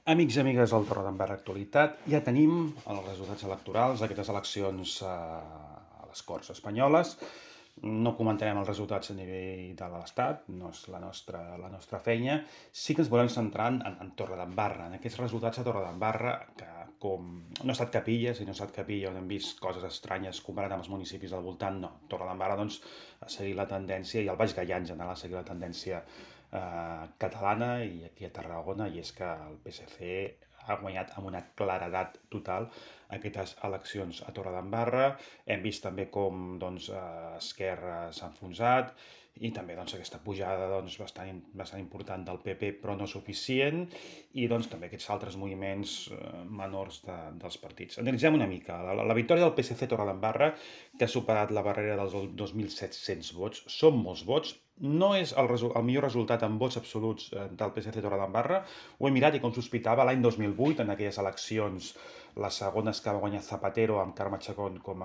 Amics i amigues del Torredembarra Actualitat, ja tenim els resultats electorals d'aquestes eleccions a les Corts Espanyoles. No comentarem els resultats a nivell de l'Estat, no és la nostra feina. Sí que ens volem centrar en Torredembarra, en aquests resultats a Torredembarra, que com no ha estat Capilla, si no ha estat Capilla on hem vist coses estranyes comparat amb els municipis del voltant, no. Torredembarra doncs, ha seguit la tendència, i el Baix Gaià en general ha seguit la tendència catalana i aquí a Tarragona, i és que el PSC ha guanyat amb una claredat total aquestes eleccions a Torredembarra. Hem vist també com Esquerra s'ha enfonsat i també aquesta pujada bastant important del PP, però no suficient, i també aquests altres moviments menors dels partits. Analitzem una mica. La victòria del PSC a Torredembarra, que ha superat la barrera dels 2.700 vots, són molts vots. No és el millor resultat en vots absoluts del PSC Torredembarra. Ho he mirat i, com sospitava, l'any 2008, en aquelles eleccions, les segones que va guanyar Zapatero amb Carme Chacón com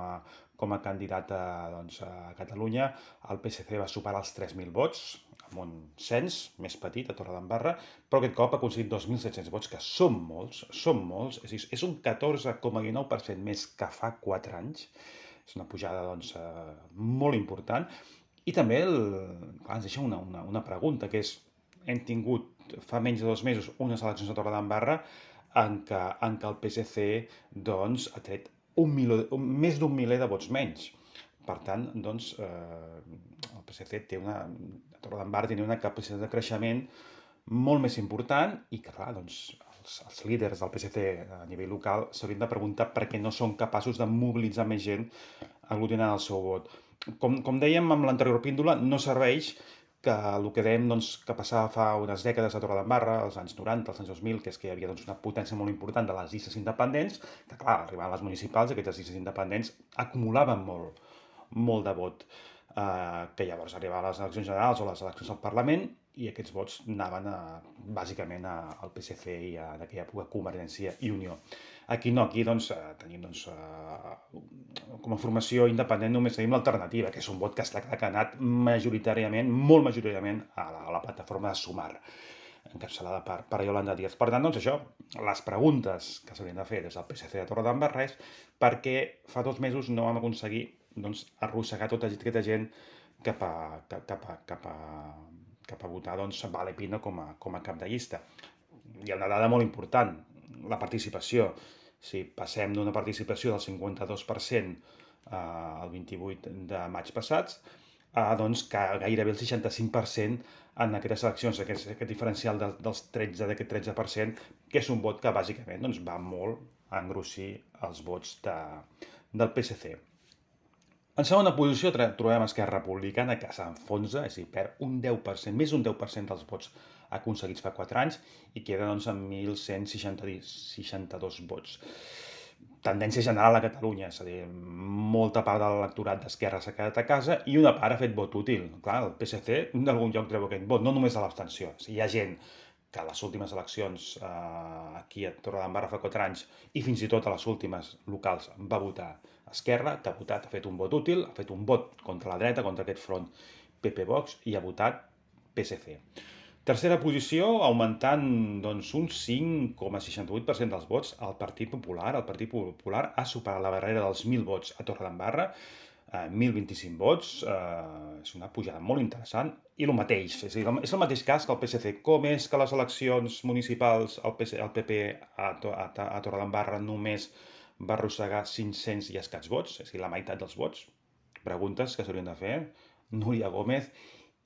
a candidata a Catalunya, el PSC va superar els 3.000 vots, amb un cens més petit a Torredembarra, però aquest cop ha aconseguit 2.700 vots, que són molts, és un 14,19% més que fa 4 anys. És una pujada molt important. I també ens deixa una pregunta, que és: hem tingut fa menys de 2 mesos unes eleccions a Torredembarra en què el PSC ha tret més d'un miler de vots menys. Per tant, el PSC a Torredembarra té una capacitat de creixement molt més important, i que, clar, els líders del PSC a nivell local s'haurien de preguntar per què no són capaços de mobilitzar més gent aglutinant el seu vot. Com dèiem amb l'anterior píndola, no serveix que el que dèiem que passava fa unes dècades a Torredembarra, als anys 90, als anys 2000, que és que hi havia una potència molt important de les llistes independents, que, clar, arribaven les municipals, aquestes llistes independents acumulaven molt de vot, que llavors arribaven a les eleccions generals o les eleccions al Parlament, i aquests vots anaven bàsicament al PSC i d'aquella època Convergència i Unió. Aquí no, aquí tenim com a formació independent només tenim l'Alternativa, que és un vot que ha anat majoritàriament, molt majoritàriament, a la plataforma de Sumar, encapçalada per Yolanda Díaz. Per tant, això, les preguntes que s'haurien de fer des del PSC de Torredembarra és per què fa 2 mesos no vam aconseguir arrossegar tota aquesta gent cap a votar Vale Pino com a cap de llista. Hi ha una dada molt important, la participació. Si passem d'una participació del 52% el 28 de maig passats, que gairebé el 65% en aquestes eleccions, aquest diferencial d'aquest 13%, que és un vot que bàsicament va molt a engrossir els vots del PSC. En segona posició trobem Esquerra Republicana, que s'enfonsa, és a dir, perd un 10%, més d'un 10% dels vots aconseguits fa 4 anys, i queda amb 1.162 vots. Tendència general a Catalunya, és a dir, molta part de l'electorat d'Esquerra s'ha quedat a casa i una part ha fet vot útil. Clar, el PSC d'algun lloc treu aquest vot, no només a l'abstenció. Hi ha gent que a les últimes eleccions aquí a Torredembarra fa 4 anys, i fins i tot a les últimes locals, va votar Esquerra, que ha fet un vot útil, ha fet un vot contra la dreta, contra aquest front PP-Vox, i ha votat PSC. Tercera posició, augmentant un 5,68% dels vots, el Partit Popular. El Partit Popular ha superat la barrera dels 1.000 vots a Torredembarra, 1.025 vots, és una pujada molt interessant, i el mateix, és el mateix cas que el PSC. Com és que les eleccions municipals el PP a Torredembarra només va arrossegar 500 i escaig vots, és a dir, la meitat dels vots? Preguntes que s'haurien de fer Núria Gómez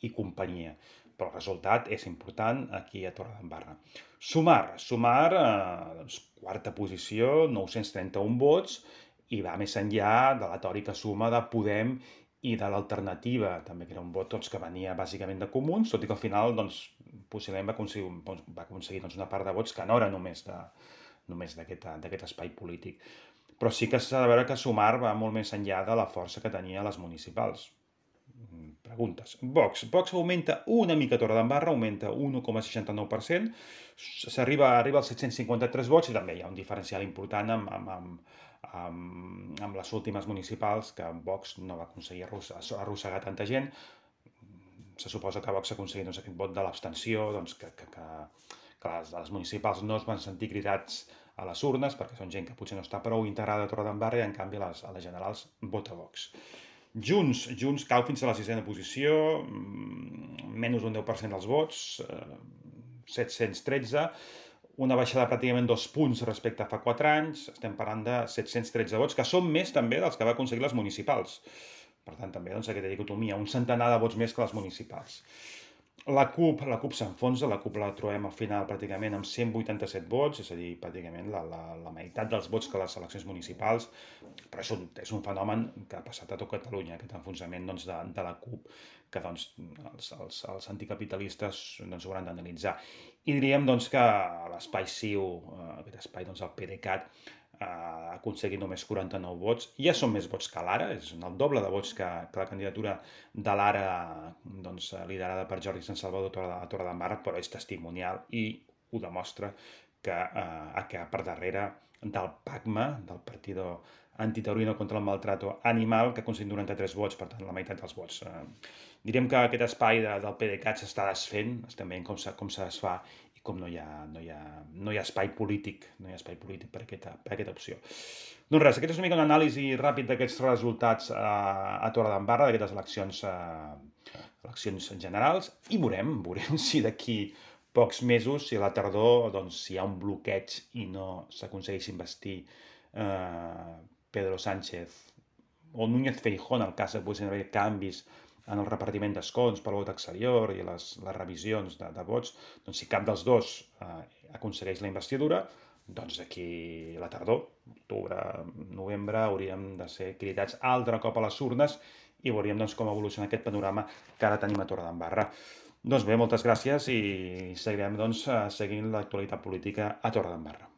i companyia. Però el resultat és important aquí a Torredembarra. Sumar, quarta posició, 931 vots, i va més enllà de la tòrica suma de Podem i de l'Alternativa, també, que era un vot que venia bàsicament de Comuns, tot i que al final possiblement va aconseguir una part de vots que no era només d'aquest espai polític. Però sí que s'ha de veure que Sumar va molt més enllà de la força que tenia a les municipals. Preguntes. Vox augmenta una mica a Torredembarra, augmenta 1,69%, arriba als 753 vots, i també hi ha un diferencial important amb les últimes municipals, que Vox no va aconseguir arrossegar tanta gent. Se suposa que Vox ha aconseguit aquest vot de l'abstenció, que que les municipals no es van sentir cridats a les urnes, perquè són gent que potser no està prou integrada a Torredembarra i en canvi a les generals vota Vox. Junts cau fins a la sisena posició, menys un 10% dels vots, 713, una baixada de pràcticament 2 punts respecte a fa 4 anys, estem parlant de 713 vots, que són més també dels que va aconseguir les municipals. Per tant, també aquesta dicotomia, un centenar de vots més que les municipals. La CUP s'enfonsa, la CUP la trobem al final pràcticament amb 187 vots, és a dir, pràcticament la meitat dels vots que les eleccions municipals, però és un fenomen que ha passat a tot Catalunya, aquest enfonsament de la CUP, que els anticapitalistes ho hauran d'analitzar. I diríem que l'espai CiU, aquest espai, el PDeCAT, ha aconseguit només 49 vots. Ja són més vots que l'Ara, és el doble de vots que la candidatura de l'Ara, liderada per Jordi Sant Salvador a Torredembarra, però és testimonial i ho demostra que per darrere del PACMA, del Partido Antitaurino contra el Maltrato Animal, que ha aconseguit 93 vots, per tant, la meitat dels vots. Direm que aquest espai del PDeCAT s'està desfent, estem veient com se desfà i com no hi ha espai polític, per aquesta opció. Doncs res, aquest és una mica una anàlisi ràpid d'aquests resultats a Torredembarra, d'aquestes eleccions generals, i veurem si d'aquí pocs mesos, si a la tardor hi ha un bloqueig i no s'aconsegueix investir Pedro Sánchez o Núñez Feijóo, en el cas que poguessin haver canvis en el repartiment d'escons per vot exterior i les revisions de vots, si cap dels dos aconsegueix la investidura, d'aquí a la tardor, octubre, novembre, hauríem de ser cridats altre cop a les urnes i veuríem com evoluciona aquest panorama que ara tenim a Torredembarra. Doncs bé, moltes gràcies i seguirem seguint l'actualitat política a Torredembarra.